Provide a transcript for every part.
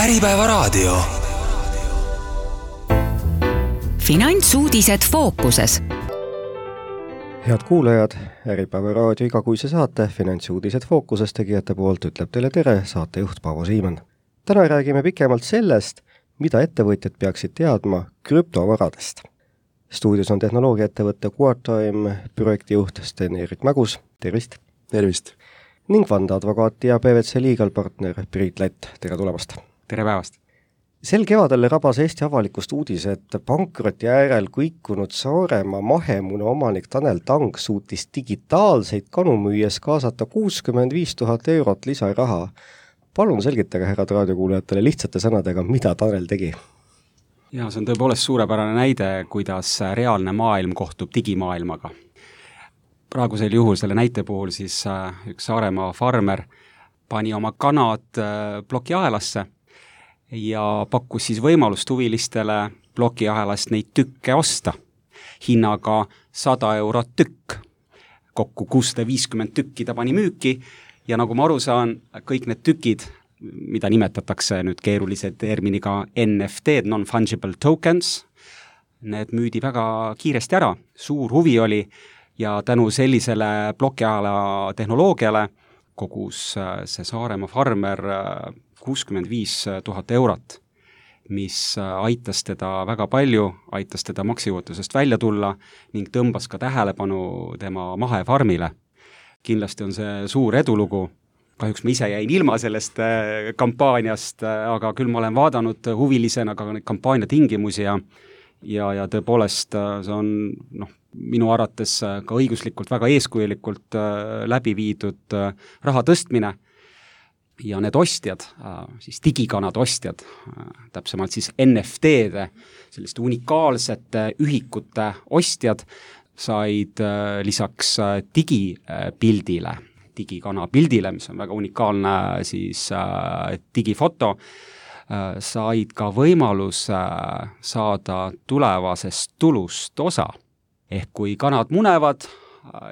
Äripäevaraadio. Finantsuudised fookuses. Head kuulajad, Äripäevaraadio igakuise saate Finantsuudised fookuses tegijate poolt ütleb teile tere saatejuht Paavo Siimann. Täna räägime pikemalt sellest, mida ettevõtjad peaksid teadma krüptovaradest. Stuudios on tehnoloogiaettevõtte QuarTime projektijuht Sten-Erik Mägus. Tervist! Tervist! Ning vandeadvokaat ja PwC legal partner Priit Lätt. Tere tulemast! Tere päevast! Sel kevadel rabas Eesti avalikust uudis, et pankroti äärel kõikunud Saaremaa mahemuna omanik Tanel Tang suutis digitaalseid kanu müües kaasata 65 000 eurot lisaraha. Palun selgitage härrad raadiokuulajatele lihtsate sõnadega, mida Tanel tegi. Ja see on tõepoolest suurepärane näide, kuidas reaalne maailm kohtub digimaailmaga. Praegusel juhul selle näite puhul siis üks Saaremaa farmer pani oma kanad plokiahelasse ja pakkus siis võimalust huvilistele plokiahelast neid tükke osta hinnaga 100 eurot tükk. Kokku 650 tükki ta pani müüki ja nagu ma aru saan, kõik need tükid, mida nimetatakse nüüd keerulise terminiga NFT, non-fungible tokens, need müüdi väga kiiresti ära, suur huvi oli ja tänu sellisele plokiahela tehnoloogiale kogus see Saaremaa farmer 65 000 eurot, mis aitas teda väga palju, aitas teda maksejõuetusest välja tulla ning tõmbas ka tähelepanu tema mahefarmile. Kindlasti on see suur edulugu. Kahjuks ma ise jäin ilma sellest kampaaniast, aga küll ma olen vaadanud huvilisena ka neid kampaania tingimusi ja tõepoolest see on minu arvates ka õiguslikult väga eeskujulikult läbi viidud raha tõstmine. Ja need ostjad, siis digikanad ostjad, täpsemalt siis NFT-de, selliste unikaalsete ühikute ostjad said lisaks digipildile, digikana pildile, mis on väga unikaalne siis digifoto, said ka võimalus saada tulevasest tulust osa. Ehk kui kanad munevad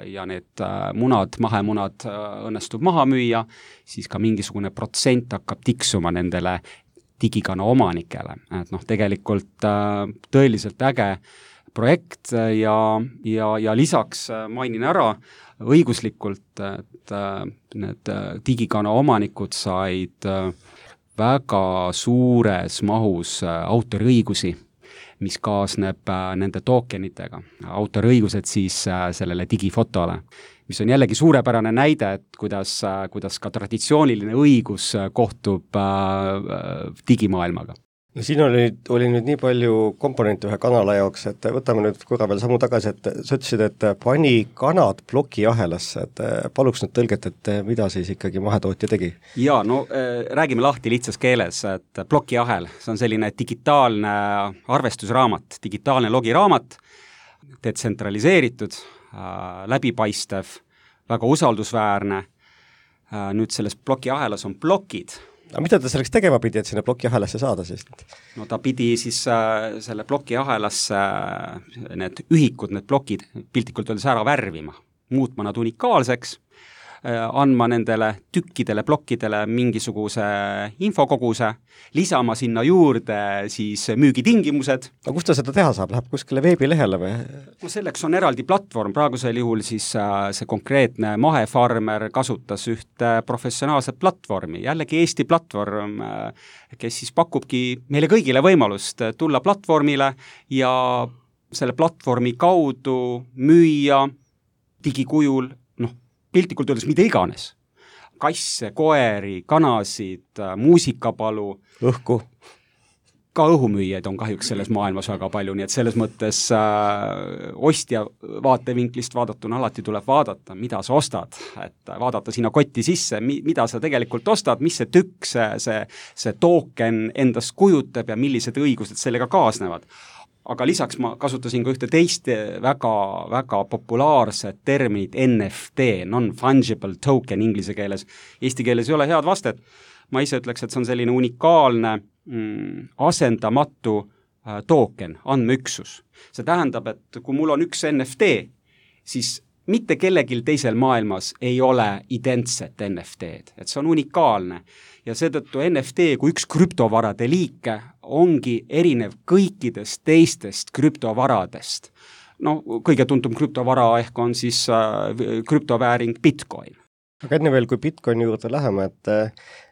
ja need mahemunad õnnestub maha müüa, siis ka mingisugune protsent hakkab tiksuma nendele digikana omanikele. Et tegelikult tõeliselt äge projekt ja lisaks mainin ära õiguslikult, et need digikana omanikud said väga suures mahus autoriõigusi, mis kaasneb nende tokenitega. Autoriõigused siis sellele digifotole, mis on jällegi suurepärane näide, et kuidas ka traditsiooniline õigus kohtub digimaailmaga. No siin oli nüüd nii palju komponente ühe kanala jaoks, et võtame nüüd korra veel sammu tagasi, et sa ütlesid, et pani kanad plokiahelasse, et paluks nüüd tõlget, et mida siis ikkagi mahetootja tegi? Ja, räägime lahti lihtsas keeles, et plokiahel, see on selline digitaalne arvestusraamat, digitaalne logiraamat, detsentraliseeritud, läbipaistev, väga usaldusväärne. Nüüd selles plokiahelas on plokid. Aga mida ta selleks tegema pidi, et sinna plokiahelasse saada siis? No ta pidi siis selle plokiahelasse need ühikud, need plokid piltlikult öeldes ära värvima, muutma nad unikaalseks, andma nendele tükkidele, plokkidele mingisuguse infokoguse, lisama sinna juurde siis müügitingimused. Aga kust ta seda teha saab? Läheb kuskile veebilehele või? No selleks on eraldi platvorm, praegusel juhul siis see konkreetne mahefarmer kasutas ühte professionaalset platvormi, jällegi Eesti platvorm, kes siis pakubki meile kõigile võimalust tulla platvormile ja selle platvormi kaudu müüa digikujul piltlikult öeldes mida iganes. Kasse, koeri, kanasid, muusikapalu. Õhku. Ka õhumüüjaid on kahjuks selles maailmas väga palju, nii et selles mõttes ostja vaatevinklist vaadatuna alati tuleb vaadata, mida sa ostad. Et vaadata sinna kotti sisse, mida sa tegelikult ostad, mis see tükk, see token endast kujutab ja millised õigused sellega kaasnevad. Aga lisaks ma kasutasin ka ühte teist väga populaarset terminit NFT, non-fungible token inglise keeles. Eesti keeles ei ole head vastet. Ma ise ütleks, et see on selline unikaalne asendamatu token, andmeüksus. See tähendab, et kui mul on üks NFT, siis mitte kellelgi teisel maailmas ei ole identset NFT-d, et see on unikaalne. Ja seetõttu NFT kui üks krüptovarade liike ongi erinev kõikidest teistest krüptovaradest. No kõige tuntum krüptovara ehk on siis krüptovääring Bitcoin. Aga enne veel, kui Bitcoini juurde läheme,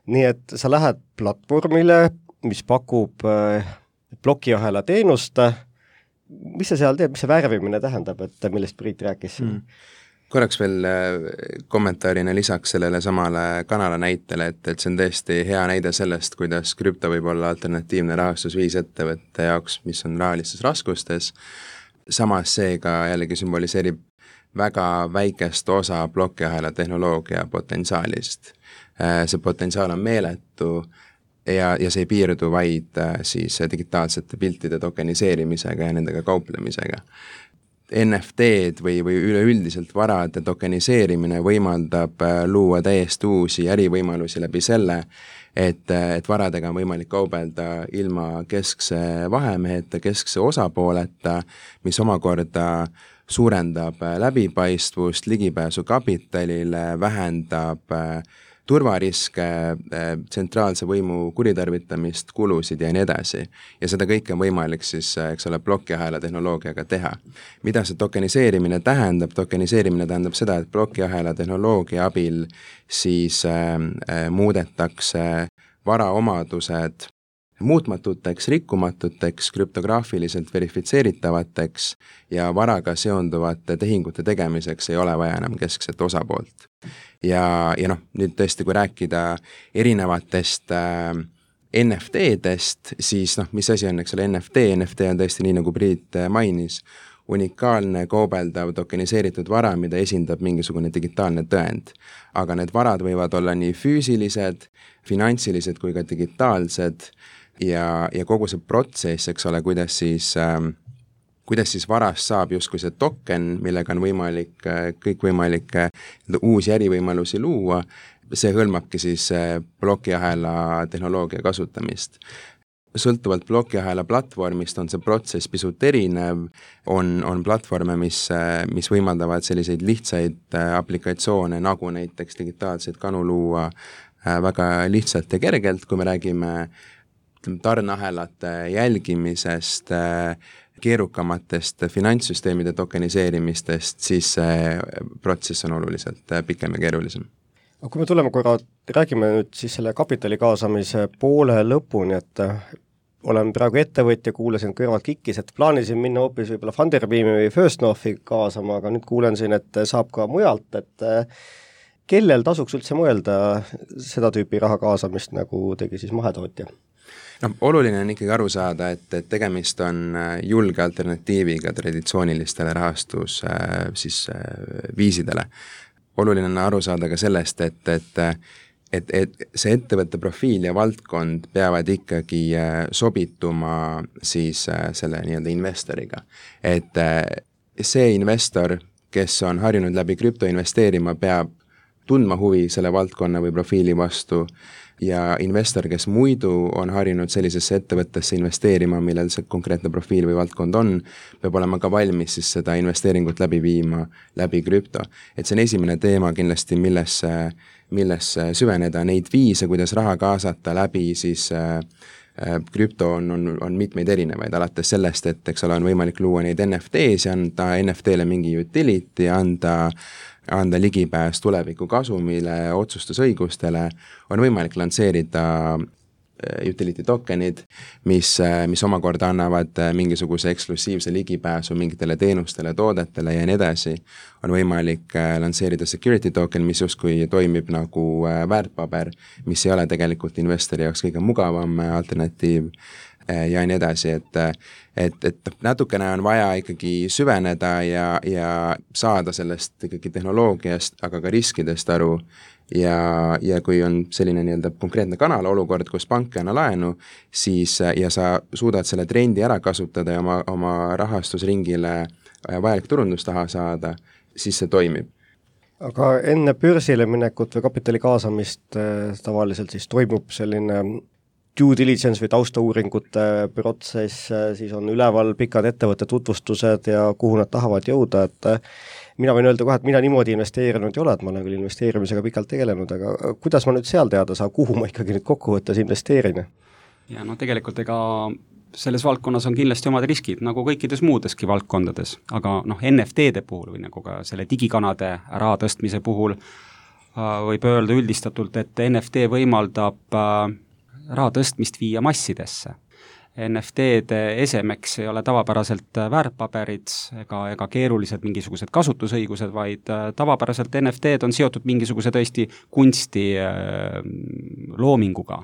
nii et sa lähed platvormile, mis pakub plokiahela teenust, mis sa seal teed, mis see värvimine tähendab, et millest Priit rääkis? Korraks veel kommentaarina lisaks sellele samale kanala näitele, et see on tõesti hea näide sellest, kuidas krüpto võib olla alternatiivne rahastusviis ettevõtte jaoks, mis on rahalistes raskustes. Samas see ka jällegi sümboliseerib väga väikest osa plokiahela tehnoloogia potentsiaalist. See potentsiaal on meeletu ja see ei piirdu vaid siis digitaalsete piltide tokeniseerimisega ja nendega kauplemisega. NFT-d või üleüldiselt varade tokeniseerimine võimaldab luua täiesti uusi ärivõimalusi läbi selle, et varadega on võimalik kaubelda ilma keskse vahemeheta, keskse osapooleta, mis omakorda suurendab läbipaistvust, ligipääsu kapitalile, vähendab turvariske, tsentraalse võimu kuritarvitamist, kulusid ja nii edasi. Ja seda kõike on võimalik siis, plokiahela tehnoloogiaga teha. Mida see tokeniseerimine tähendab? Tokeniseerimine tähendab seda, et plokiahela tehnoloogia abil siis muudetakse varaomadused muutmatuteks, rikkumatuteks, krüptograafiliselt verifitseeritavateks ja varaga seonduvate tehingute tegemiseks ei ole vaja enam keskset osapoolt. Ja nüüd tõesti, kui rääkida erinevatest NFT-dest, siis mis asi on, eks ole, NFT? NFT on tõesti nii, nagu Priit mainis, unikaalne, kaubeldav, tokeniseeritud vara, mida esindab mingisugune digitaalne tõend. Aga need varad võivad olla nii füüsilised, finantsilised kui ka digitaalsed ja kogu see protsess, eks ole, kuidas siis varast saab justkui see token, millega on võimalik kõikvõimalikke uusi ärivõimalusi luua, see hõlmabki siis plokiahela tehnoloogia kasutamist. Sõltuvalt plokiahela platvormist on see protsess pisut erinev, on platvorme, mis võimaldavad selliseid lihtsaid aplikatsioone, nagu näiteks digitaalseid kanu luua väga lihtsalt ja kergelt, kui me räägime tarneahelate jälgimisest, keerukamatest finantssüsteemide tokeniseerimistest, siis see protsess on oluliselt pikem ja keerulisem. Aga kui me tuleme korra, räägime nüüd siis selle kapitali kaasamise poole lõpuni, et olen praegu ettevõtja, kuulasin kõrvalt kikkis, et plaanisin minna hoopis võib-olla Funderbeami või First Northi kaasama, aga nüüd kuulen siin, et saab ka mujalt, et kellel tasuks üldse mõelda seda tüüpi raha kaasamist, nagu tegi siis mahetootja? Oluline on ikkagi aru saada, et tegemist on julge alternatiiviga traditsioonilistele rahastus siis viisidele. Oluline on aru saada ka sellest, et see ettevõtte profiil ja valdkond peavad ikkagi sobituma siis selle nii-öelda investoriga. Et see investor, kes on harjunud läbi krüpto investeerima, peab tundma huvi selle valdkonna või profiili vastu ja investor, kes muidu on harjunud sellisesse ettevõttesse investeerima, millel see konkreetne profiil või valdkond on, peab olema ka valmis siis seda investeeringut läbi viima läbi krüpto. Et see on esimene teema kindlasti, milles süveneda, neid viise, kuidas raha kaasata läbi siis krüpto on mitmeid erinevaid, alates sellest, et eks ole, on võimalik luua neid NFT-s ja anda NFT-le mingi utility, anda ligipääs tuleviku kasumile, otsustusõigustele, on võimalik lansseerida utility tokenid, mis omakorda annavad mingisuguse eksklusiivse ligipääsu mingitele teenustele, toodetele ja nii edasi. On võimalik lansseerida security token, mis justkui toimib nagu väärtpaber, mis ei ole tegelikult investori jaoks kõige mugavam alternatiiv ja nii edasi, et natukene on vaja ikkagi süveneda ja saada sellest ikkagi tehnoloogiast, aga ka riskidest aru ja kui on selline nii-öelda konkreetne kanal olukord, kus pank ei anna laenu, siis ja sa suudad selle trendi ära kasutada ja oma rahastusringile vajalik turundus taha saada, siis see toimib. Aga enne börsile minekut või kapitali kaasamist tavaliselt siis toimub selline due diligence või taustauuringute protsess, siis on üleval pikad ettevõtte tutvustused ja kuhu nad tahavad jõuda, et mina võin öelda kohe, et mina niimoodi investeerinud ei ole, et ma olen küll investeerimisega pikalt tegelenud, aga kuidas ma nüüd seal teada saan, kuhu ma ikkagi nüüd kokkuvõttes investeerin? Ja no tegelikult ega selles valdkonnas on kindlasti omad riskid, nagu kõikides muudeski valdkondades, aga NFT-de puhul või nagu ka selle digikanade raha tõstmise puhul võib öelda üldistatult, et NFT võimaldab raha tõstmist viia massidesse. NFT-de esemeks ei ole tavapäraselt väärtpaberid ega keerulised mingisugused kasutusõigused, vaid tavapäraselt NFT-d on seotud mingisuguse tõesti kunsti loominguga,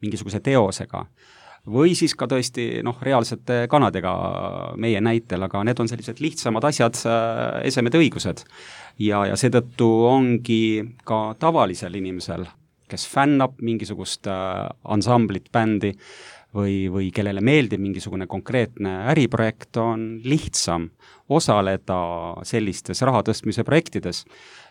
mingisuguse teosega. Või siis ka tõesti reaalsete kanadega meie näitel, aga need on sellised lihtsamad asjad, esemed õigused. Ja seetõttu ongi ka tavalisel inimesel, kes fännab mingisugust ansamblit, bändi või kellele meeldib mingisugune konkreetne äriprojekt, on lihtsam osaleda sellistes raha tõstmise projektides.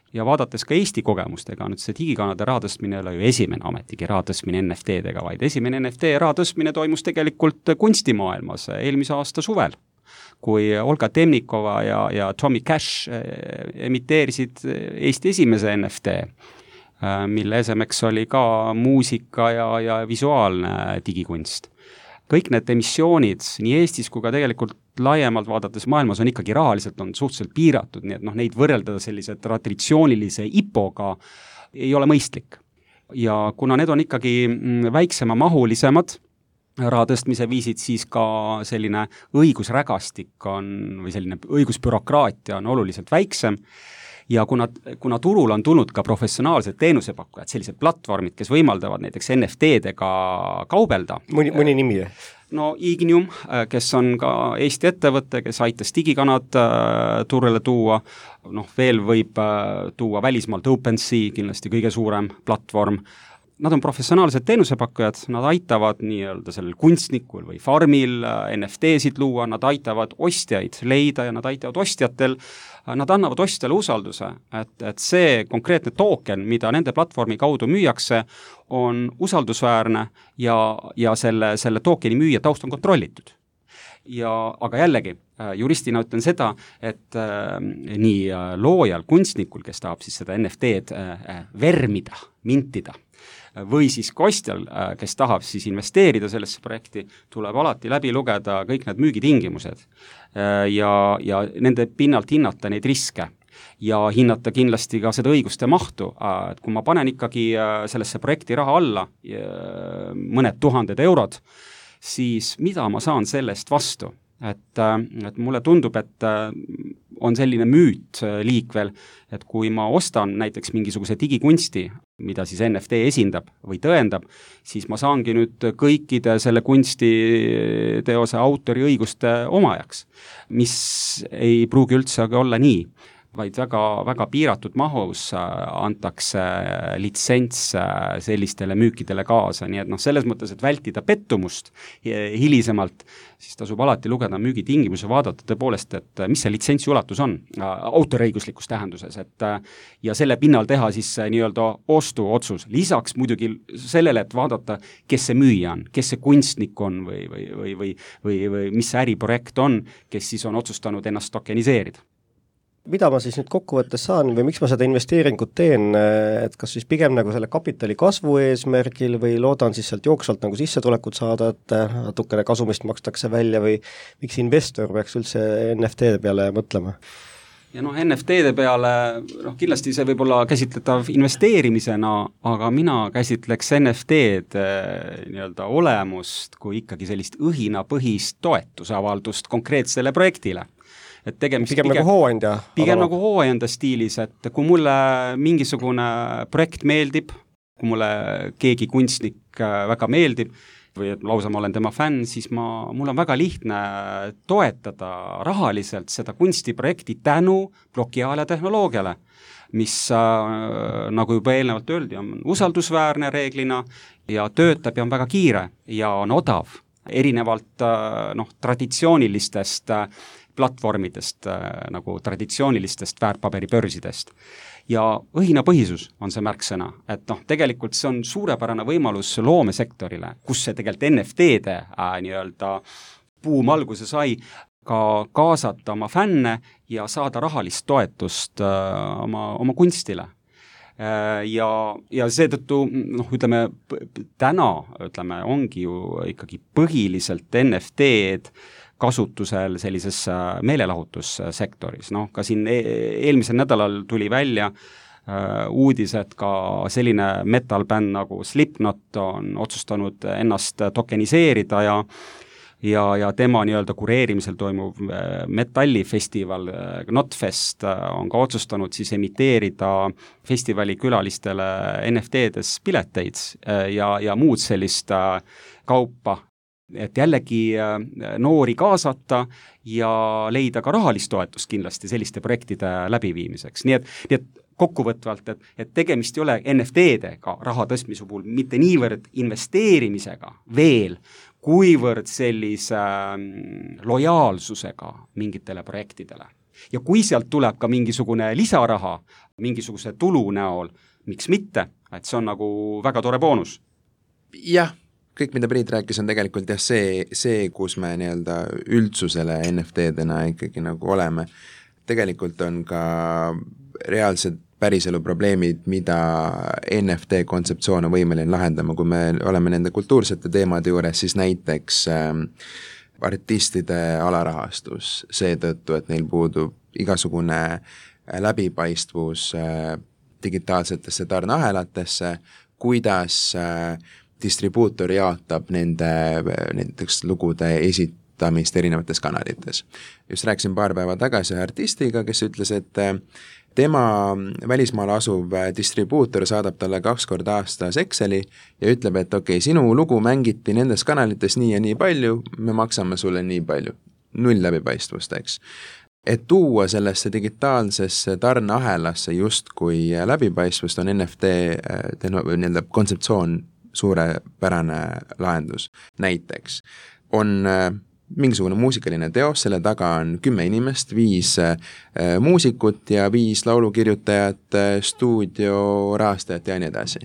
Ja vaadates ka Eesti kogemustega, nüüd see digikanade raha tõstmine ei ole ju esimene ametigi raha tõstmine NFT-dega, vaid esimene NFT raha tõstmine toimus tegelikult kunstimaailmas eelmise aasta suvel, kui Olga Temnikova ja Tommy Cash emiteerisid Eesti esimese NFT, mille esemeks oli ka muusika ja visuaalne digikunst. Kõik need emissioonid nii Eestis kui ka tegelikult laiemalt vaadates maailmas on ikkagi rahaliselt on suhteliselt piiratud, nii et neid võrreldada sellise traditsioonilise IPO-ga ei ole mõistlik. Ja kuna need on ikkagi väiksema mahulisemad raha tõstmise viisid, siis ka selline õigusrägastik või selline õigusbürokraatia on oluliselt väiksem. Ja kuna turul on tulnud ka professionaalsed teenusepakkujad, sellised platvormid, kes võimaldavad näiteks NFT-dega kaubelda. Mõni nimi? No Ignium, kes on ka Eesti ettevõte, kes aitas digikanad turule tuua, veel võib tuua välismaalt OpenSea, kindlasti kõige suurem platvorm. Nad on professionaalsed teenusepakkujad, nad aitavad nii-öelda sellel kunstnikul või farmil NFT-sid luua, nad aitavad ostjaid leida ja nad aitavad ostjatel, nad annavad ostjale usalduse, et see konkreetne token, mida nende platvormi kaudu müüakse, on usaldusväärne ja selle tokeni müüja taust on kontrollitud. Aga jällegi, juristina ütlen seda, et nii loojal, kunstnikul, kes tahab siis seda NFT-d vermida, mintida, või siis kostjal, kes tahab siis investeerida sellesse projekti, tuleb alati läbi lugeda kõik need müügitingimused ja nende pinnalt hinnata neid riske ja hinnata kindlasti ka seda õiguste mahtu, et kui ma panen ikkagi sellesse projekti raha alla mõned tuhanded eurod, siis mida ma saan sellest vastu? Et mulle tundub, et on selline müüt liikvel, et kui ma ostan näiteks mingisuguse digikunsti, mida siis NFT esindab või tõendab, siis ma saangi nüüd kõikide selle kunstiteose autori õiguste omajaks, mis ei pruugi üldse olla nii, vaid väga, väga piiratud mahus antakse litsents sellistele müükidele kaasa, nii et selles mõttes, et vältida pettumust hilisemalt, siis tasub alati lugeda müügitingimuse, vaadata tõepoolest, et mis see litsentsi ulatus on autoriõiguslikus tähenduses, ja selle pinnal teha siis nii-öelda ostuotsus. Lisaks muidugi sellele, et vaadata, kes see müüja on, kes see kunstnik on või mis see äriprojekt on, kes siis on otsustanud ennast tokeniseerida. Mida ma siis nüüd kokkuvõttes saan või miks ma seda investeeringut teen, et kas siis pigem nagu selle kapitali kasvu eesmärgil või loodan siis sealt jooksvalt nagu sissetulekut saada, et natukene kasumist makstakse välja või miks investor peaks üldse NFT-de peale mõtlema? Ja NFT-de peale, kindlasti see võib olla käsitletav investeerimisena, aga mina käsitleks NFT-d nii-öelda olemust kui ikkagi sellist õhinapõhist toetusavaldust konkreetsele projektile. Pigem nagu hooandja. Pigem nagu hooandja stiilis, et kui mulle mingisugune projekt meeldib, kui mulle keegi kunstnik väga meeldib või et lausa ma olen tema fänn, siis mul on väga lihtne toetada rahaliselt seda kunstiprojekti tänu blokiaale tehnoloogiale, mis nagu juba eelnevalt öeldi, on usaldusväärne reeglina ja töötab ja on väga kiire ja on odav, erinevalt traditsioonilistest platvormidest, nagu traditsioonilistest väärtpaberibörsidest. Ja õhinapõhisus on see märksõna, et tegelikult see on suurepärane võimalus loomesektorile, kus see tegelikult NFT-de nii-öelda buum alguse sai, ka kaasata oma fänne ja saada rahalist toetust oma kunstile. Ja seetõttu, ütleme, täna ongi ju ikkagi põhiliselt NFT-d kasutusel sellises meelelahutussektoris. Ka siin eelmisel nädalal tuli välja uudis, et ka selline metal-bänd nagu Slipknot on otsustanud ennast tokeniseerida ja tema nii-öelda kureerimisel toimuv metallifestival Knotfest on ka otsustanud siis emiteerida festivali külalistele NFT-des pileteid ja muud sellist kaupa, et jällegi noori kaasata ja leida ka rahalist toetust kindlasti selliste projektide läbiviimiseks. Nii et kokkuvõtvalt, et tegemist ei ole NFT-dega raha tõstmise puhul mitte niivõrd investeerimisega veel, kuivõrd sellise lojaalsusega mingitele projektidele. Ja kui sealt tuleb ka mingisugune lisaraha, mingisuguse tulu näol, miks mitte, et see on nagu väga tore boonus. Jah, kõik, mida Priit rääkis, on tegelikult see, kus me nii-öelda üldsusele NFT-dena ikkagi nagu oleme. Tegelikult on ka reaalsed päriselu probleemid, mida NFT kontseptsioon on võimeline lahendama, kui me oleme nende kultuursete teemade juures, siis näiteks artistide alarahastus seetõttu, et neil puudub igasugune läbipaistvus digitaalsetesse tarneahelatesse, kuidas distribuutor jaotab nende näiteks lugude esitamist erinevates kanalites. Just rääkisin paar päeva tagasi artistiga, kes ütles, et tema välismaal asuv distribuutor saadab talle 2 korda aastas Exceli ja ütleb, et okei, sinu lugu mängiti nendes kanalites nii ja nii palju, me maksame sulle nii palju. 0 läbipaistvust, eks. Et tuua sellesse digitaalsesse tarneahelasse justkui läbipaistvust on NFT kontseptsioon suurepärane lahendus. Näiteks on mingisugune muusikaline teos, selle taga on 10 inimest, 5 muusikut ja 5 laulukirjutajat, stuudiorahastajat ja nii edasi.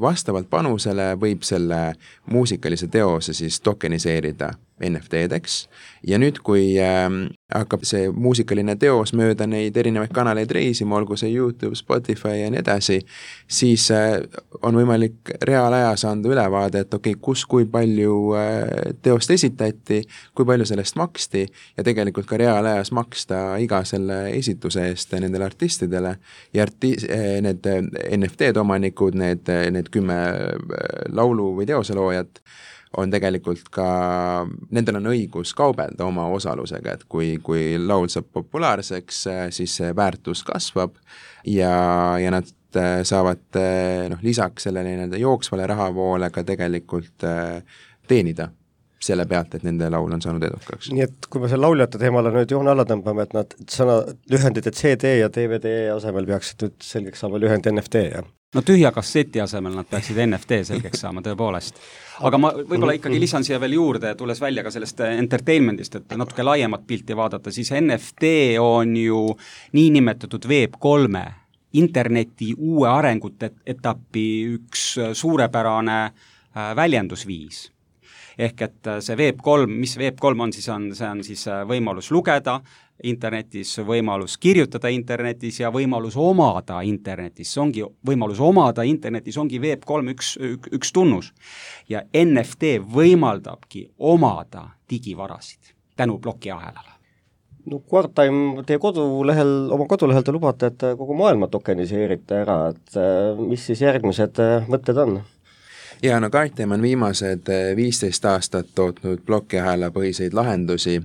Vastavalt panusele võib selle muusikalise teose siis tokeniseerida NFT-deks ja nüüd, kui hakkab see muusikaline teos mööda neid erinevaid kanaleid reisima, olgu see YouTube, Spotify ja nii edasi, siis on võimalik reaalajas anda ülevaade, et okei, kui palju teost esitati, kui palju sellest maksti ja tegelikult ka reaalajas maksta iga selle esituse eest nendele artistidele ja need NFT-d omanikud, need 10 laulu või teoseloojat on tegelikult ka, nendel on õigus kaubelda oma osalusega, et kui laul saab populaarseks, siis see väärtus kasvab ja nad saavad lisaks sellele jooksvale rahavoole ka tegelikult teenida selle pealt, et nende laul on saanud edukaks. Nii et kui me selle lauljate teemale nüüd joone alla tõmbame, et nad lühendid, et CD ja DVD asemel peaksid nüüd selgeks saama lühend NFT, jah? No tühja kasseti asemel nad peaksid NFT selgeks saama tõepoolest. Aga ma võib-olla ikkagi lisan siia veel juurde, tulles välja ka sellest entertainmentist, et natuke laiemat pilti vaadata, siis NFT on ju niinimetatud Web3 interneti uue arengute etappi üks suurepärane väljendusviis. Ehk et see Web3, mis Web3 on, see on siis võimalus lugeda internetis, võimalus kirjutada internetis ja võimalus omada internetis. Võimalus omada internetis ongi Web3 üks tunnus. Ja NFT võimaldabki omada digivarasid tänu plokiahelale. No Quartime, oma kodulehel te lubate, et kogu maailma tokeniseerite ära, et mis siis järgmised mõtted on? Ja no Quartime on viimased 15 aastat tootnud plokiahela põhiseid lahendusi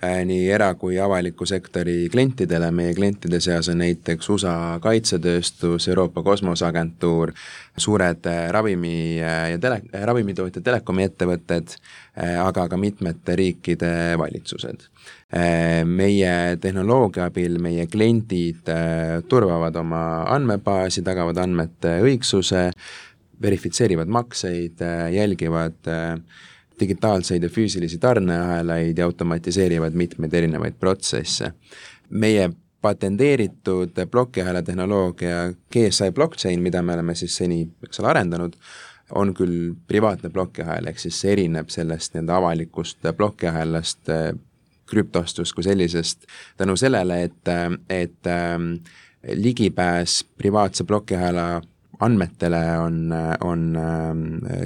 nii era- kui avaliku sektori klientidele. Meie klientide seas on näiteks USA kaitsetööstus, Euroopa Kosmoseagentuur, suured ravimitootjad, telekomi ettevõtted, aga ka mitmete riikide valitsused. Meie tehnoloogia abil meie kliendid turvavad oma andmebaasi, tagavad andmete õigsuse, verifitseerivad makseid, jälgivad digitaalseid ja füüsilisi tarneahelaid ja automatiseerivad mitmeid erinevaid protsesse. Meie patenteeritud plokiahela tehnoloogia GSI blockchain, mida me oleme siis seni arendanud, on küll privaatne plokiahel, ehk siis see erineb sellest avalikust plokiahelast krüptostust kui sellisest tänu sellele, et ligipääs privaatse plokiahela andmetele on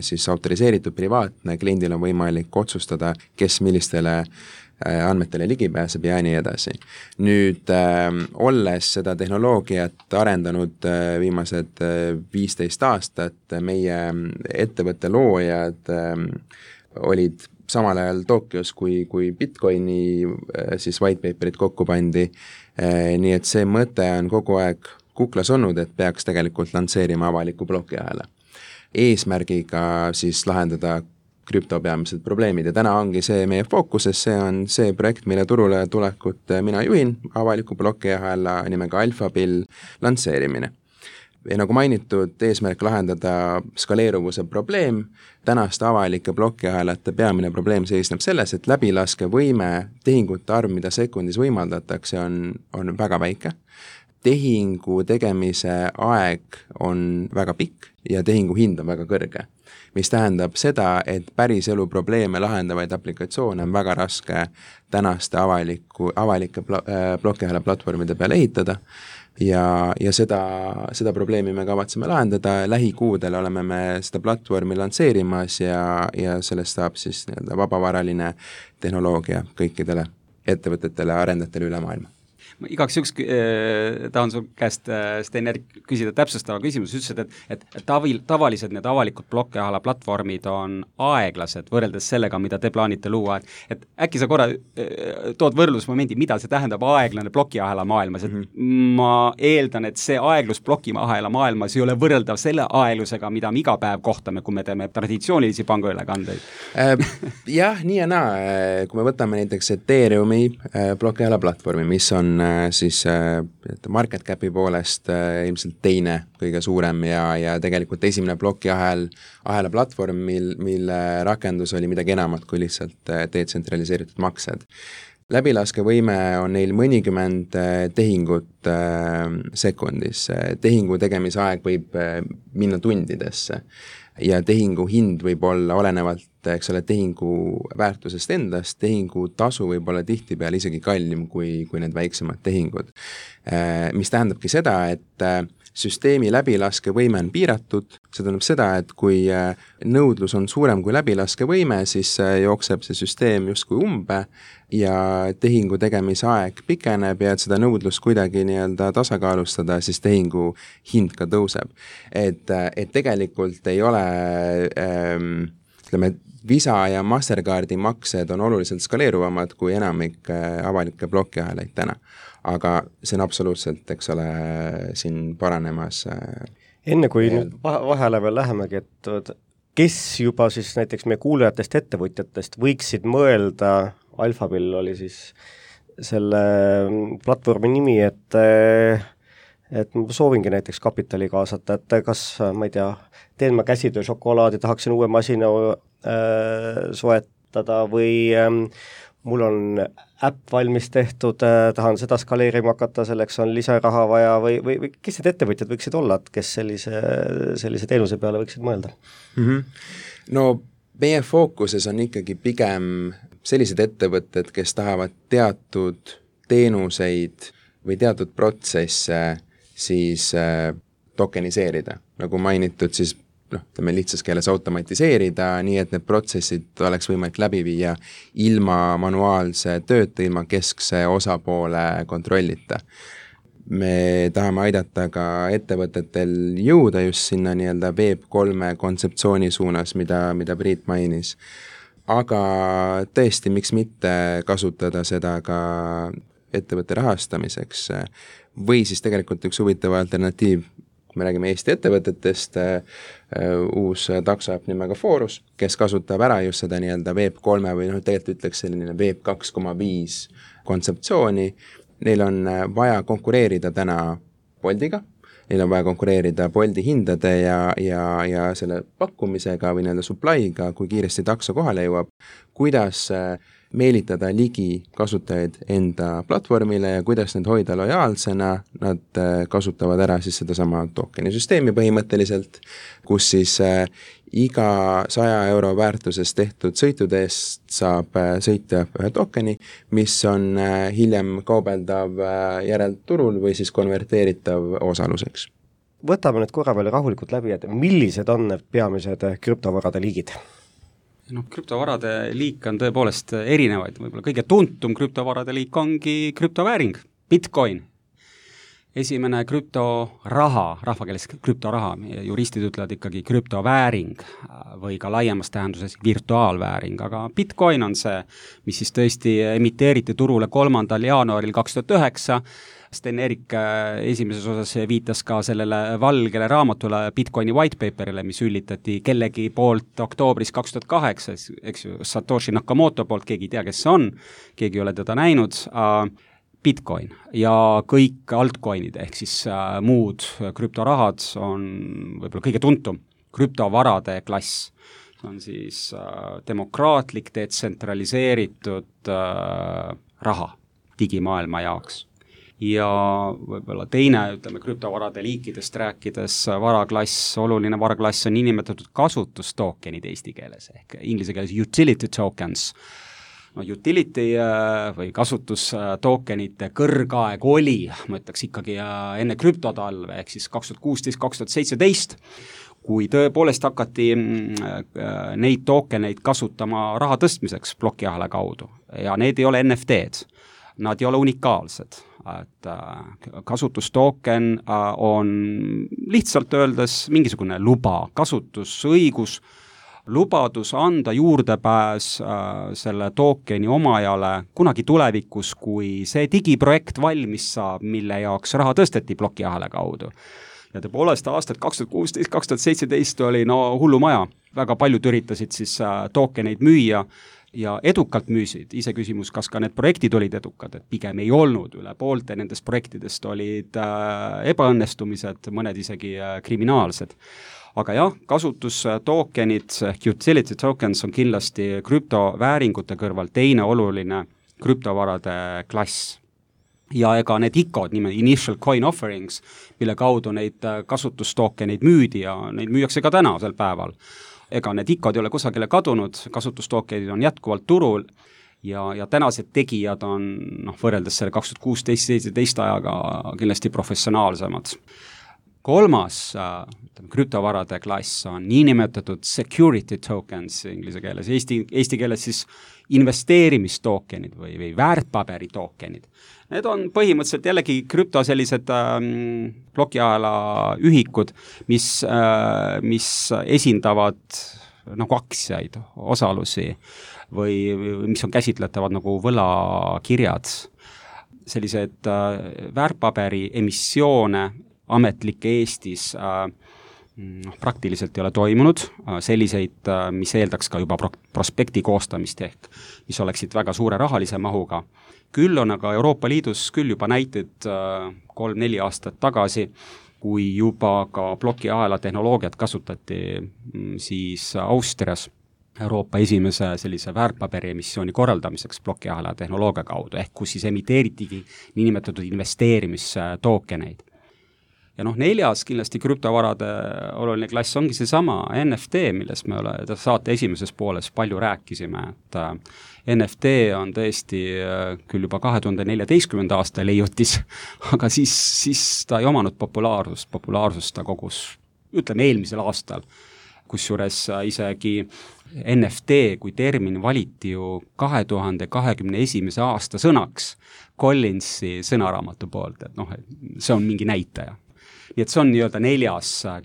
siis autoriseeritud privaatne, kliendil on võimalik otsustada, kes millistele andmetele ligi pääseb ja nii edasi. Nüüd, olles seda tehnoloogiat arendanud viimased 15 aastat, meie ettevõtte loojad olid samal ajal Tokyos, kui Bitcoini siis white paperit kokku pandi, nii et see mõte on kogu aeg kuklas olnud, et peaks tegelikult lansseerima avaliku plokiahela. Eesmärgiga siis lahendada krüpto peamised probleemid ja täna ongi see meie fookuses, see on see projekt, mille turule tulekut mina juhin, avaliku plokiahela nimega Alphabill lansseerimine. Ja nagu mainitud, eesmärk lahendada skaleeruvuse probleem, tänaste avalike plokiahelate peamine probleem seisneb selles, et läbilaskevõime, tehingute arv, mida sekundis võimaldatakse, on väga väike. Tehingu tegemise aeg on väga pikk ja tehingu hind on väga kõrge, mis tähendab seda, et päris elu probleeme lahendavaid aplikatsioone on väga raske tänaste avalike plokiahela platvormide peale ehitada ja seda probleemi me kavatseme lahendada. Lähikuudel oleme me seda platvormi lansseerimas ja sellest saab siis nii-öelda vabavaraline tehnoloogia kõikidele ettevõtetele ja arendajatele üle maailma. Ma igaks juks tahan sul käest, Sten-Erik, küsida täpsustava küsimus, ütlesid, et tavalised need avalikud plokiahela platvormid on aeglased võrreldes sellega, mida te plaanite luua, et äkki sa korra tood võrdlusmomendi, mida see tähendab aeglane plokiahela maailmas, et ma eeldan, et see aeglus plokiahela maailmas ei ole võrreldav selle aeglusega, mida me iga päev kohtame, kui me teeme traditsioonilisi pangaülekandeid. Jah, nii ja naa, kui me võtame näiteks Ethereumi plokiahela platvormi, mis on siis market capi poolest ilmselt teine kõige suurem ja tegelikult esimene plokiahela platvorm, mille rakendus oli midagi enamat kui lihtsalt detsentraliseeritud maksed. Läbilaskevõime on neil mõnikümmend tehingut sekundis. Tehingu tegemise aeg võib minna tundidesse ja tehingu hind võib olla olenevalt, eks ole, tehingu väärtusest endast, tehingu tasu võib olla tihtipeale isegi kallim kui need väiksemad tehingud. Mis tähendabki seda, et süsteemi läbilaskevõime on piiratud, see tähendab seda, et kui nõudlus on suurem kui läbilaskevõime, siis jookseb see süsteem justkui umbe ja tehingu tegemise aeg pikeneb ja et seda nõudlust kuidagi nii-öelda tasakaalustada, siis tehingu hind ka tõuseb. Et tegelikult ei ole, ütleme, Visa ja Mastercardi maksed on oluliselt skaleeruvamad kui enamik avalikke plokiahelaid täna. Aga see on absoluutselt, eks ole, siin paranemas. Enne kui nüüd vahele veel lähemegi, et kes juba siis näiteks meie kuulajatest ettevõtjatest võiksid mõelda, Alphabill oli siis selle platvormi nimi, et ma soovingi näiteks kapitali kaasata, et kas, ma ei tea, teen ma käsitöö šokolaadi, tahaksin uue masina soetada või mul on äpp valmis tehtud, tahan seda skaleerima hakata, selleks on lisaraha vaja või kes need ettevõtjad võiksid olla, et kes sellise teenuse peale võiksid mõelda? No meie fookuses on ikkagi pigem sellised ettevõtted, kes tahavad teatud teenuseid või teatud protsesse siis tokeniseerida. Nagu mainitud, siis ütleme lihtsas keeles automatiseerida, nii et need protsessid oleks võimalik läbi viia ilma manuaalse tööta, ilma keskse osapoole kontrollita. Me tahame aidata ka ettevõtetel jõuda just sinna nii-öelda Web3 kontseptsiooni suunas, mida Priit mainis. Aga tõesti, miks mitte kasutada seda ka ettevõtte rahastamiseks või siis tegelikult üks huvitav alternatiiv, kui me räägime Eesti ettevõtetest, uus taksoäpp nimega Forus, kes kasutab ära just seda nii-öelda Web3 või tegelikult ütleks selline Web 2.5 kontseptsiooni. Neil on vaja konkureerida täna Boltiga, neil on vaja konkureerida Bolti hindade ja selle pakkumisega või nii-öelda supply'ga, kui kiiresti takso kohale jõuab, kuidas meelitada ligi kasutajaid enda platvormile ja kuidas need hoida lojaalsena, nad kasutavad ära siis seda sama tokeni süsteemi põhimõtteliselt, kus siis iga 100 euro väärtuses tehtud sõitude eest saab sõitja ühe tokeni, mis on hiljem kaubeldav järelturul või siis konverteeritav osaluseks. Võtame nüüd korra veel rahulikult läbi, et millised on need peamised krüptovarade liigid? Krüptovarade liik on tõepoolest erinevaid, võib-olla kõige tuntum krüptovarade liik ongi krüptovääring, Bitcoin. Esimene krüptoraha, rahvakeeles krüptoraha, juristid ütlevad ikkagi krüptovääring või ka laiemas tähenduses virtuaalvääring, aga Bitcoin on see, mis siis tõesti emiteeriti turule 3. jaanuaril 2009. Sten-Erik esimeses osas viitas ka sellele valgele raamatule Bitcoini white paperile, mis üllitati kellegi poolt oktoobris 2008, eks ju, Satoshi Nakamoto poolt, keegi ei tea, kes see on, keegi ei ole teda näinud, Bitcoin ja kõik altcoinid ehk siis muud krüptorahad on võib-olla kõige tuntum krüptovarade klass. See on siis demokraatlik, detsentraliseeritud raha digimaailma jaoks. Ja võib-olla teine, ütleme, krüptovarade liikidest rääkides varaklass, oluline varaklass on nimetatud kasutustookenid eesti keeles ehk inglise keeles utility tokens. Utility või kasutustookenite kõrgaeg oli, ma ütleks ikkagi enne krüptotalve, ehk siis 2016-2017, kui tõepoolest hakati neid tookeneid kasutama raha tõstmiseks plokiahela kaudu ja need ei ole NFT-d, nad ei ole unikaalsed, et kasutustooken on lihtsalt öeldes mingisugune luba, kasutusõigus, lubadus anda juurdepääs selle tookeni omajale kunagi tulevikus, kui see digiprojekt valmis saab, mille jaoks raha tõsteti plokiahela kaudu. Ja tõepoolest aastad 2016-2017 oli hullumaja, väga paljud üritasid siis tookeneid müüa ja edukalt müüsid, ise küsimus, kas ka need projektid olid edukad, et pigem ei olnud, üle poolte nendest projektidest olid ebaõnnestumised, mõned isegi kriminaalsed. Aga jah, kasutustookenid, utility tokens on kindlasti krüptovääringute kõrval teine oluline krüptovarade klass. Ja ega need ICO-d, initial coin offerings, mille kaudu neid kasutustookeneid müüdi ja neid müüakse ka tänasel päeval. Ega need ICO-d ei ole kusagile kadunud, kasutustookenid on jätkuvalt turul ja tänased tegijad on võrreldes selle 2016-2017 ajaga kindlasti professionaalsemad. Kolmas krüptovarade klass on niinimetatud security tokens inglise keeles, eesti keeles siis investeerimistookenid või väärtpaberi tookenid. Need on põhimõtteliselt jällegi krüpto sellised plokiahela ühikud, mis esindavad nagu aktsiaid, osalusi või mis on käsitletavad nagu võlakirjad. Sellised väärtpaberi emissioone ametlikke Eestis praktiliselt ei ole toimunud, selliseid, mis eeldaks ka juba prospekti koostamist ehk, mis oleksid väga suure rahalise mahuga. Küll on aga Euroopa Liidus küll juba näited 3-4 aastat tagasi, kui juba ka plokiahela tehnoloogiat kasutati siis Austrias Euroopa esimese sellise väärtpaberi emissiooni korraldamiseks plokiahela tehnoloogia kaudu, ehk kus siis emiteeritigi niinimetatud investeerimistookeneid. Ja neljas kindlasti krüptovarade oluline klass ongi seesama NFT, millest me saate esimeses pooles palju rääkisime, et NFT on tõesti küll juba 2014. aasta leiutis, aga siis ta ei omanud populaarsust ta kogus, ütleme eelmisel aastal, kusjuures isegi NFT kui termin valiti ju 2021. aasta sõnaks Collinsi sõnaraamatu poolt, et see on mingi näitaja. Nii et see on nii-öelda 4.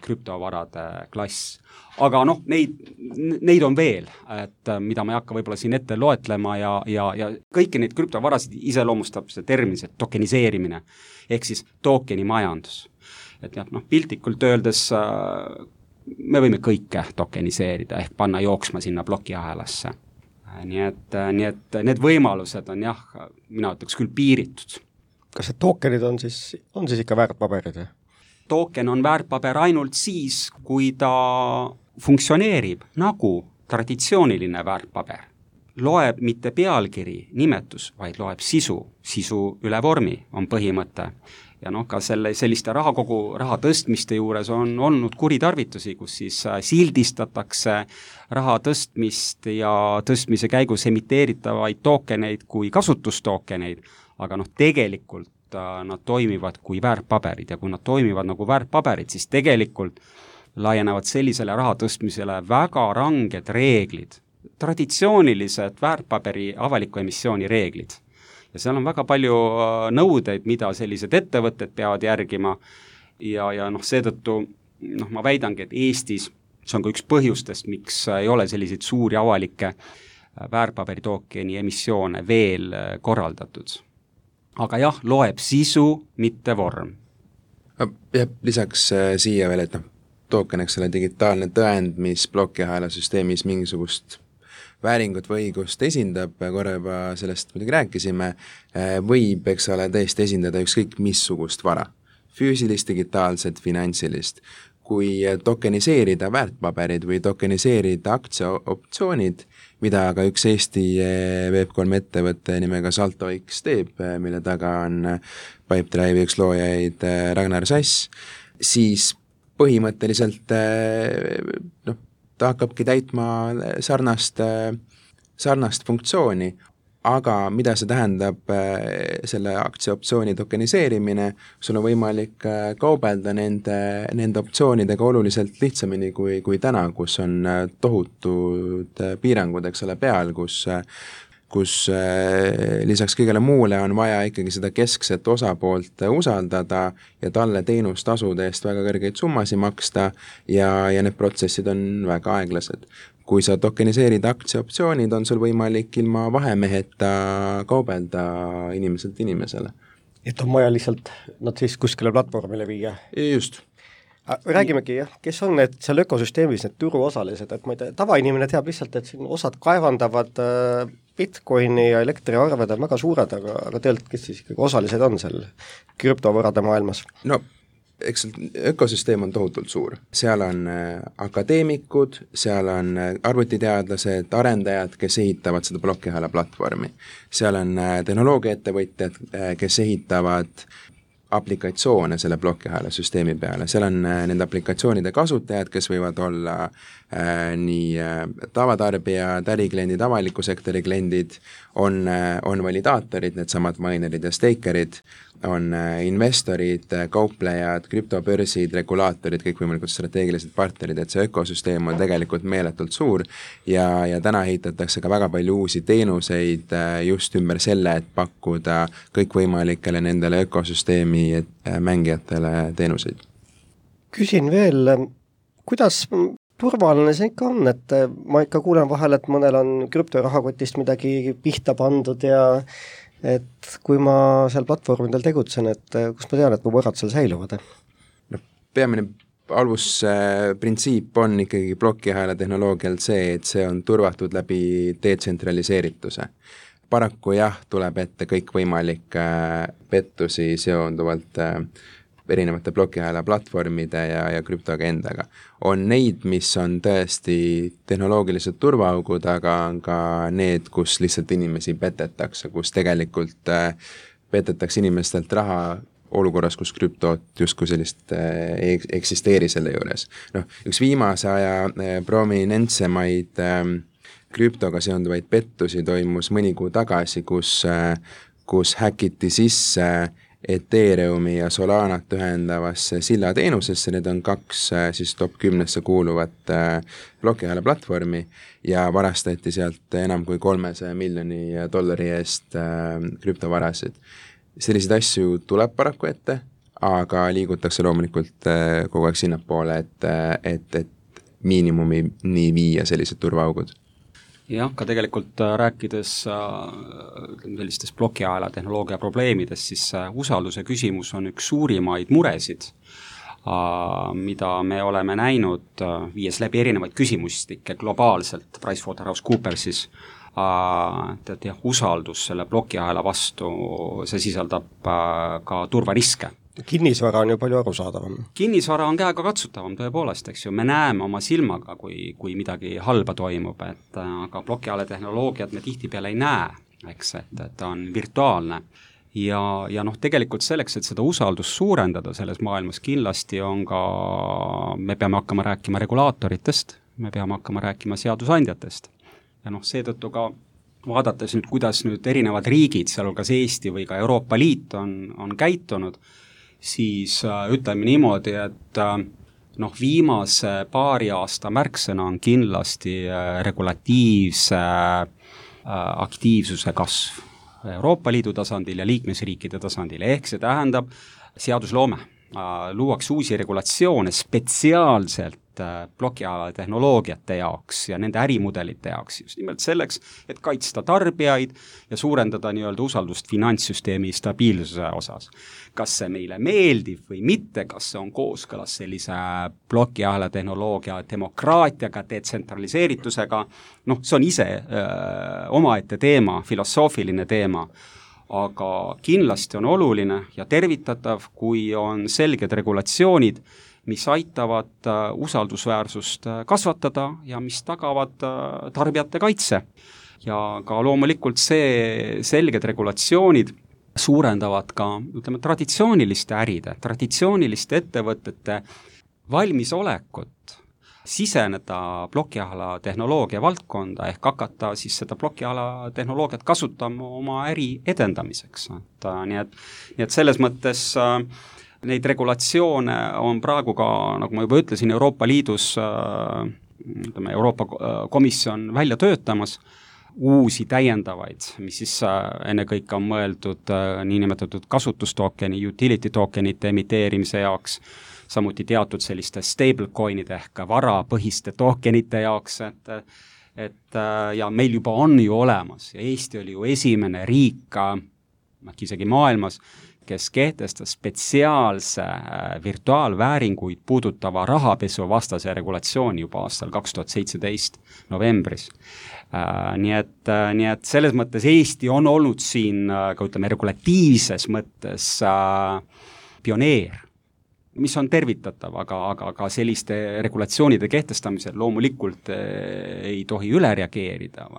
krüptovarade klass. Aga neid on veel, et mida ma ei hakka võib-olla siin ette loetlema ja kõiki neid krüptovarasid iseloomustab see termin, see tokeniseerimine, ehk siis tookeni majandus. Et piltlikult öeldes me võime kõike tokeniseerida ehk panna jooksma sinna plokiahelasse. Nii et need võimalused on mina ütleks küll piiritud. Kas see tokenid on siis ikka väärtpaberid? Token on väärtpaber ainult siis, kui ta funktsioneerib nagu traditsiooniline väärtpaber. loeb mitte pealkiri, nimetus, vaid loeb sisu üle vormi on põhimõte. Ja ka selliste raha tõstmiste juures on olnud kuritarvitusi, kus siis sildistatakse raha tõstmist ja tõstmise käigus emiteeritavaid tookeneid kui kasutustookeneid, aga tegelikult nad toimivad kui väärtpaberid ja kui nad toimivad nagu väärtpaberid, siis tegelikult laienevad sellisele raha tõstmisele väga ranged reeglid, traditsioonilised väärtpaberi avaliku emissiooni reeglid. Ja seal on väga palju nõudeid, mida sellised ettevõtted peavad järgima ja seetõttu ma väidangi, et Eestis see on ka üks põhjustest, miks ei ole selliseid suuri avalikke väärtpaberitookeni emissioone veel korraldatud. Aga jah, loeb sisu, mitte vorm. Ja lisaks siia veel, et tooken, eks ole, digitaalne tõend, mis plokiahela süsteemis mingisugust vääringut või õigust esindab, korra juba sellest muidugi rääkisime, võib, eks ole, tõesti esindada ükskõik missugust vara, füüsilist, digitaalset, finantsilist. Kui tokeniseerida väärtpaberid või tokeniseerida aktsiaoptsioonid, mida ka üks Eesti Web3 ettevõtte nimega SaltoX teeb, mille taga on Pipedrive'i üks loojaid Ragnar Sass, siis põhimõtteliselt ta hakkabki täitma sarnast funktsiooni, aga mida see tähendab selle aktsiaoptsiooni tokeniseerimine, sul on võimalik kaubelda nende optsioonidega oluliselt lihtsamini kui täna, kus on tohutud piirangud, eks ole, peal, kus lisaks kõigele muule on vaja ikkagi seda keskset osapoolt usaldada ja talle teenustasude eest väga kõrgeid summasid maksta ja need protsessid on väga aeglased. Kui sa tokeniseerid aktsiaoptsioonid, on sul võimalik ilma vahemeheta kaubelda inimeselt inimesele. Et on vaja lihtsalt nad siis kuskile platvormile viia? Just. Räägimegi, jah, kes on need seal ökosüsteemis, need turuosalised, et ma ei tea, tavainimene teab lihtsalt, et siin osad kaevandavad Bitcoini ja elektriarved on väga suured, aga tegelikult kes siis ikkagi osalised on seal krüptovõrade maailmas? No, eks ökosüsteem on tohutult suur. Seal on akadeemikud, seal on arvutiteadlased, arendajad, kes ehitavad seda plokiahela platvormi. Seal on tehnoloogiaettevõtjad, kes ehitavad aplikatsioone selle plokiahela süsteemi peale. Seal on nende aplikatsioonide kasutajad, kes võivad olla nii tavatarbijad, ärikliendid, avaliku sektori kliendid, on validaatorid, need samad minerid ja stakerid, on investorid, kauplejad, krüptobörsid, regulaatorid, kõik võimalikud strateegilised partnerid, et see ökosüsteem on tegelikult meeletult suur ja täna ehitatakse ka väga palju uusi teenuseid just ümber selle, et pakkuda kõikvõimalikele nendele ökosüsteemi mängijatele teenuseid. Küsin veel, kuidas turvaline see ikka on, et ma ikka kuulen vahel, et mõnel on krüptorahakotist midagi pihta pandud ja et kui ma seal platvormidel tegutsen, et kus ma tean, et mu võrad seal säiluvad? No, peamine alusprintsiip on ikkagi plokiahela tehnoloogial see, et see on turvatud läbi detsentraliseerituse. Paraku jah, tuleb ette kõik võimalik pettusi seonduvalt erinevate plokiahela platvormide ja krüptoagendaga. On neid, mis on tõesti tehnoloogilised turvaaugud, aga on ka need, kus lihtsalt inimesi petetakse, kus tegelikult petetakse inimestelt raha olukorras, kus krüptot justkui sellist eksisteeri selle juures. Üks viimase aja prominentsemaid krüptoga seonduvaid pettusi toimus mõni kuu tagasi, kus häkiti sisse Ethereumi ja Solanat ühendavasse sillateenusesse, need on kaks siis top 10 kuuluvat plokiahela platvormi ja varastati sealt enam kui $300 miljoni eest krüptovarasid. Selliseid asju tuleb paraku ette, aga liigutakse loomulikult kogu aeg sinnapoole, et miinimumini viia sellised turvaaugud. Jah, ka tegelikult rääkides sellistest plokiahela tehnoloogia probleemidest, siis usalduse küsimus on üks suurimaid muresid, mida me oleme näinud, viies läbi erinevaid küsimustikke globaalselt PricewaterhouseCoopersis, usaldus selle plokiahela vastu, see sisaldab ka turvariske. kinnisvara on ju palju arusaadavam. Kinnisvara on käega katsutavam tõepoolest, eks ju, me näeme oma silmaga, kui midagi halba toimub, et aga plokiahela tehnoloogiat me tihtipeale ei näe, eks, et ta on virtuaalne. Ja noh, tegelikult selleks, et seda usaldust suurendada selles maailmas kindlasti on ka, me peame hakkama rääkima regulaatoritest, me peame hakkama rääkima seadusandjatest. Ja noh, seetõttu ka vaadates nüüd, kuidas nüüd erinevad riigid, sealhulgas Eesti või ka Euroopa Liit on käitunud, siis ütleme niimoodi, et noh, viimase paari aasta märksõna on kindlasti regulatiivse aktiivsuse kasv Euroopa Liidu tasandil ja liikmesriikide tasandil, ehk see tähendab seadusloome. Luuakse uusi regulatsioone spetsiaalselt plokiahela tehnoloogiate jaoks ja nende ärimudelite jaoks, just nimelt selleks, et kaitsta tarbijaid ja suurendada nii-öelda usaldust finantssüsteemi stabiilsuse osas. Kas see meile meeldib või mitte, kas see on kooskõlas sellise plokiahela tehnoloogia demokraatiaga, detsentraliseeritusega, noh, see on ise omaette teema, filosoofiline teema, aga kindlasti on oluline ja tervitatav, kui on selged regulatsioonid, mis aitavad usaldusväärsust kasvatada ja mis tagavad tarbijate kaitse. Ja ka loomulikult see selged regulatsioonid suurendavad ka, ütleme, traditsiooniliste äride, traditsiooniliste ettevõtete valmisolekut siseneda plokiahela tehnoloogia valdkonda ehk hakata siis seda plokiahela tehnoloogiat kasutama oma äri edendamiseks. Nii et selles mõttes neid regulatsioone on praegu ka, nagu ma juba ütlesin, Euroopa Liidus, ütleme, Euroopa Komisjon välja töötamas uusi täiendavaid, mis siis ennekõike on mõeldud niinimetatud kasutustokeni, utility tokenite emiteerimise jaoks, samuti teatud selliste stablecoinide ehk varapõhiste tokenite jaoks, et ja meil juba on ju olemas ja Eesti oli ju esimene riik, isegi maailmas, kes kehtestas spetsiaalse virtuaalvääringuid puudutava rahapesuvastase regulatsiooni juba aastal 2017 novembris. Nii et selles mõttes Eesti on olnud siin, ka ütleme, regulatiivses mõttes pioneer, mis on tervitatav, aga selliste regulatsioonide kehtestamisel loomulikult ei tohi üle reageerida,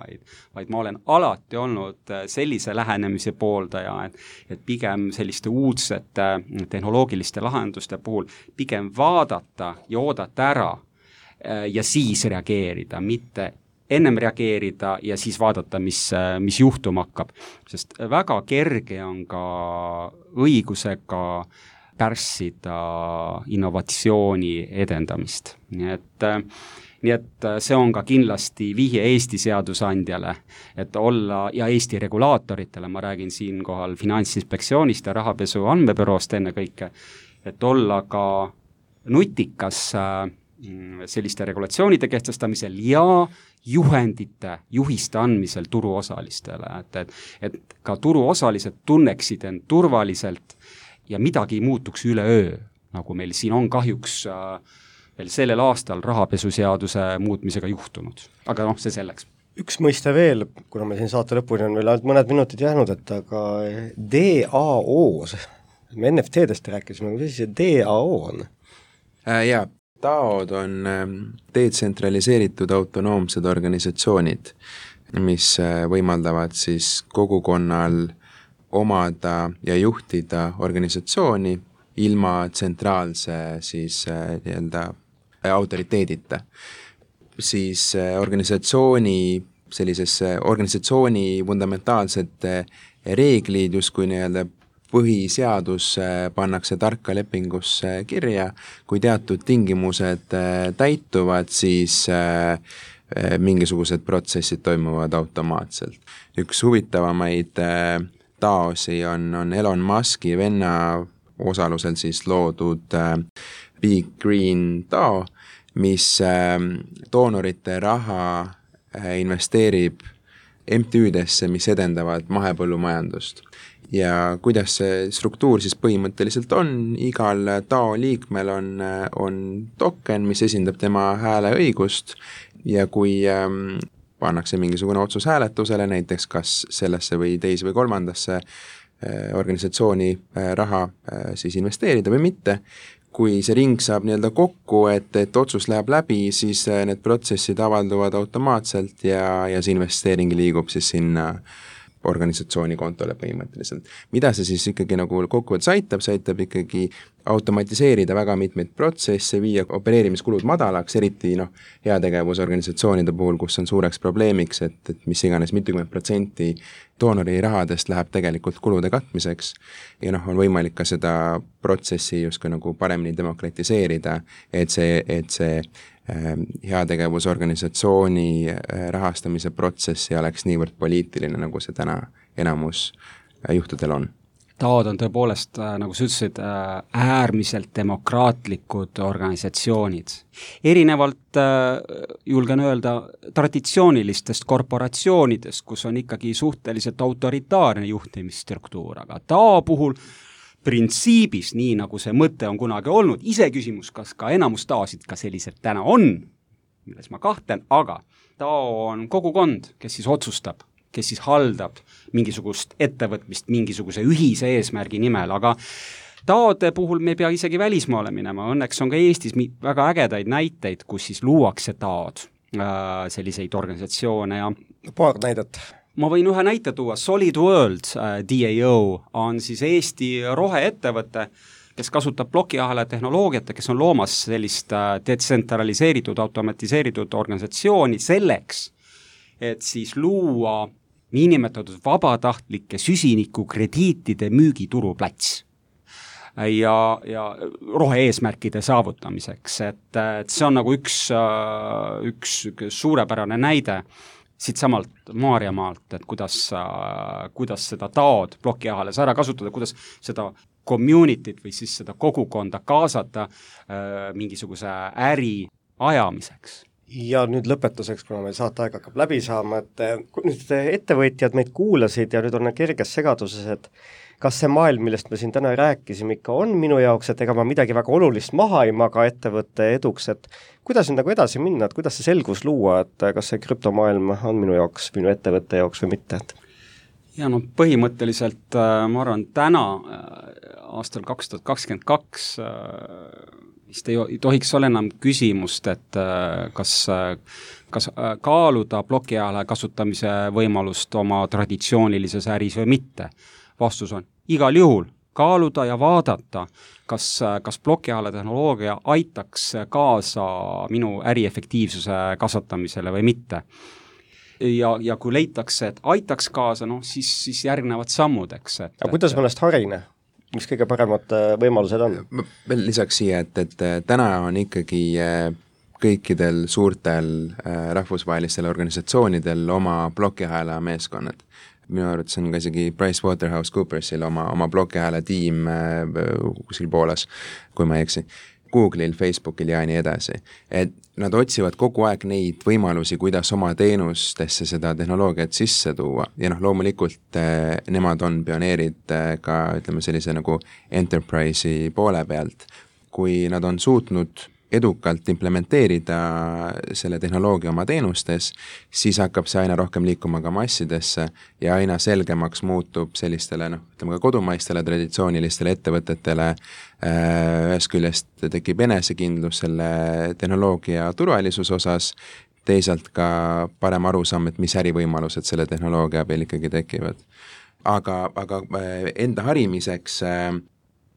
vaid ma olen alati olnud sellise lähenemise pooldaja, et pigem selliste uudsete tehnoloogiliste lahenduste puhul pigem vaadata ja oodata ära ja siis reageerida, mitte ennem reageerida ja siis vaadata, mis juhtuma hakkab. Sest väga kerge on ka õigusega pärssida innovatsiooni edendamist. Nii et see on ka kindlasti vihje Eesti seadusandjale, et olla ja Eesti regulaatoritele, ma räägin siinkohal Finantsinspektsioonist ja rahapesu andmebüroost ennekõike, et olla ka nutikas selliste regulatsioonide kehtestamisel ja juhiste andmisel turuosalistele, et ka turuosalised tunneksid end turvaliselt ja midagi ei muutuks üleöö, nagu meil siin on kahjuks veel sellel aastal rahapesuseaduse muutmisega juhtunud. Aga noh, see selleks. Üks mõiste veel, kuna me siin saate lõpuni on veel ainult mõned minutid jäänud, et aga DAO-s, me NFT-dest rääkisime, mis see DAO on? Jaa, DAO-d on detsentraliseeritud autonoomsed organisatsioonid, mis võimaldavad siis kogukonnal omada ja juhtida organisatsiooni ilma tsentraalse siis nii-öelda autoriteedita. Siis organisatsiooni fundamentaalsed reeglid justkui nii-öelda põhiseadus pannakse tarka lepingusse kirja, kui teatud tingimused täituvad, siis mingisugused protsessid toimuvad automaatselt. Üks huvitavamaid DAO-si on Elon Muski venna osalusel siis loodud Big Green DAO, mis doonorite raha investeerib MTÜ-desse, mis edendavad mahepõllumajandust. Ja kuidas see struktuur siis põhimõtteliselt on, igal DAO liikmel on token, mis esindab tema hääleõigust ja kui pannakse mingisugune otsus hääletusele, näiteks kas sellesse või teise või kolmandasse organisatsiooni raha siis investeerida või mitte. Kui see ring saab nii-öelda kokku, et otsus läheb läbi, siis need protsessid avalduvad automaatselt ja see investeering liigub siis sinna organisatsiooni kontole põhimõtteliselt. Mida see siis ikkagi nagu kokkuvõttes aitab ikkagi automatiseerida väga mitmeid protsesse, viia opereerimiskulud madalaks, eriti heategevusorganisatsioonide puhul, kus on suureks probleemiks, et mis iganes mitukümmend protsenti doonori rahadest läheb tegelikult kulude katmiseks ja on võimalik ka seda protsessi justkui nagu paremini demokratiseerida, et see heategevusorganisatsiooni rahastamise protsess ei oleks niivõrd poliitiline, nagu see täna enamus juhtudel on. TAO-d on tõepoolest, nagu sa ütlesid, äärmiselt demokraatlikud organisatsioonid. Erinevalt, julgen öelda, traditsioonilistest korporatsioonidest, kus on ikkagi suhteliselt autoritaarne juhtimisstruktuur, aga TAO puhul printsiibis, nii nagu see mõte on kunagi olnud, ise küsimus, kas ka enamus TAO-sid ka sellised täna on, milles ma kahtlen, aga TAO on kogukond, kes siis otsustab, kes siis haldab mingisugust ettevõtmist mingisuguse ühise eesmärgi nimel, aga TAO-de puhul me ei pea isegi välismaale minema, õnneks on ka Eestis väga ägedaid näiteid, kus siis luuakse TAO-d, selliseid organisatsioone ja paar näidet. Ma võin ühe näite tuua, Solid World DAO on siis Eesti roheettevõte, kes kasutab plokiahela tehnoloogiat ja kes on loomas sellist detsentraliseeritud, automatiseeritud organisatsiooni selleks, et siis luua niinimetatud vabatahtlike süsinikukrediitide müügituruplats ja rohe-eesmärkide saavutamiseks, et see on nagu üks suurepärane näide siit samalt Maarjamaalt, et kuidas seda TAO-d plokiahelas ära kasutada, kuidas seda communityt või siis seda kogukonda kaasata mingisuguse äri ajamiseks. Ja nüüd lõpetuseks, kuna meil saateaeg hakkab läbi saama, et kui nüüd ettevõtjad meid kuulasid ja nüüd on kerges segaduses, et kas see maailm, millest me siin täna rääkisime, ikka on minu jaoks, et ega ma midagi väga olulist maha ei maga ettevõtte eduks, et kuidas nüüd nagu edasi minna, et kuidas see selgus luua, et kas see krüptomaailm on minu jaoks, minu ettevõtte jaoks või mitte? Ja põhimõtteliselt ma arvan, täna aastal 2022 vist ei tohiks olla enam küsimust, et kas kaaluda plokiahela kasutamise võimalust oma traditsioonilises äris või mitte. Vastus on igal juhul kaaluda ja vaadata, kas plokiahela tehnoloogia aitaks kaasa minu äri efektiivsuse kasvatamisele või mitte. Ja kui leitakse, et aitaks kaasa, siis järgnevad sammud, eks. Aga kuidas mõnest harine? Mis kõige paremad võimalused on? Veel lisaks siia, et täna on ikkagi kõikidel suurtel rahvusvahelistel organisatsioonidel oma plokiahela meeskonnad. Minu arvates on ka isegi PricewaterhouseCoopersil oma plokiahela tiim kuskil Poolas, kui ma ei eksi. Google'il, Facebookil ja nii edasi. Et nad otsivad kogu aeg neid võimalusi, kuidas oma teenustesse seda tehnoloogiat sisse tuua. Ja loomulikult nemad on pioneerid ka, ütleme, sellise nagu enterprise'i poole pealt. Kui nad on suutnud edukalt implementeerida selle tehnoloogia oma teenustes, siis hakkab see aina rohkem liikuma ka massidesse ja aina selgemaks muutub sellistele, ütleme ka kodumaistele traditsioonilistele ettevõtetele. Ühest küljest tekib enesekindlus selle tehnoloogia turvalisuse osas, teisalt ka parem arusaam, et mis ärivõimalused selle tehnoloogia abil ikkagi tekivad. Aga enda harimiseks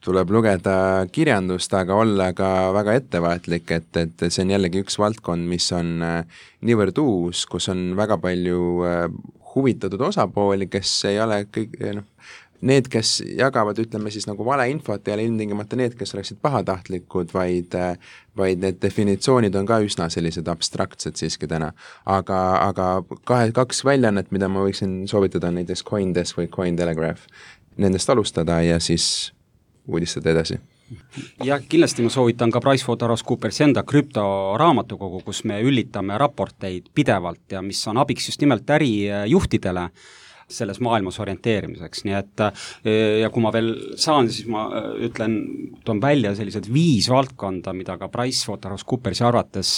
tuleb lugeda kirjandust, aga olla ka väga ettevaatlik, et see on jällegi üks valdkond, mis on niivõrd uus, kus on väga palju huvitatud osapooli, kes ei ole kõik, need, kes jagavad, ütleme siis nagu valeinfot, ei ole ilmtingimata need, kes oleksid pahatahtlikud, vaid need definitsioonid on ka üsna sellised abstraktsed siiski täna. Aga kaks väljaannet, mida ma võiksin soovitada, on näiteks CoinDesk või Cointelegraph. Nendest alustada ja siis uudistada edasi. Ja kindlasti ma soovitan ka PricewaterhouseCoopers enda krüptoraamatukogu, kus me üllitame raporteid pidevalt ja mis on abiks just nimelt ärijuhtidele selles maailmas orienteerimiseks, nii et ja kui ma veel saan, siis ma toon välja sellised 5 valdkonda, mida ka PricewaterhouseCoopersi arvates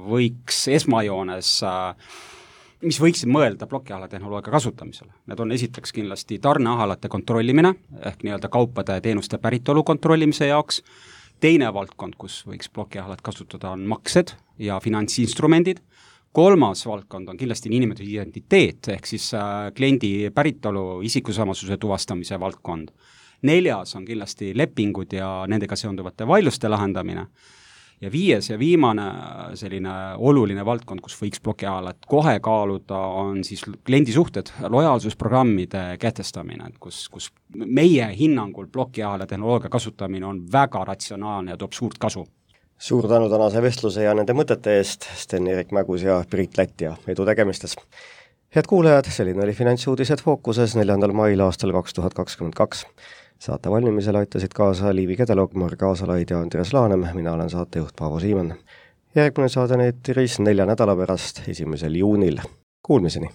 võiks esmajoones mis võiksid mõelda plokiahela tehnoloogia kasutamisele. Need on esiteks kindlasti tarneahelate kontrollimine, ehk nii-öelda kaupade ja teenuste päritolu kontrollimise jaoks. Teine valdkond, kus võiks plokiahelat kasutada, on maksed ja finantsinstrumendid. Kolmas valdkond on kindlasti niinimetatud identiteet, ehk siis kliendi päritolu isikusamasuse tuvastamise valdkond. Neljas on kindlasti lepingud ja nendega seonduvate vaidluste lahendamine. Ja viies ja viimane selline oluline valdkond, kus võiks plokiahelat kohe kaaluda, on siis kliendisuhted, lojaalsusprogrammide kehtestamine, kus meie hinnangul plokiahela tehnoloogia kasutamine on väga ratsionaalne ja toob suurt kasu. Suur tänu tänase vestluse ja nende mõtete eest, Sten-Erik Mägus ja Priit Lätt ja edu tegemistes. Head kuulajad, selline oli Finantsuudised Fookuses 4. mail aastal 2022. Saate valmimisele aitasid kaasa Liivi Kedelog, Marg Aasalaid ja Andres Laanem, mina olen saatejuht Paavo Siimann. Järgmine saade on eetris 4 nädala pärast, 1. juunil. Kuulmiseni!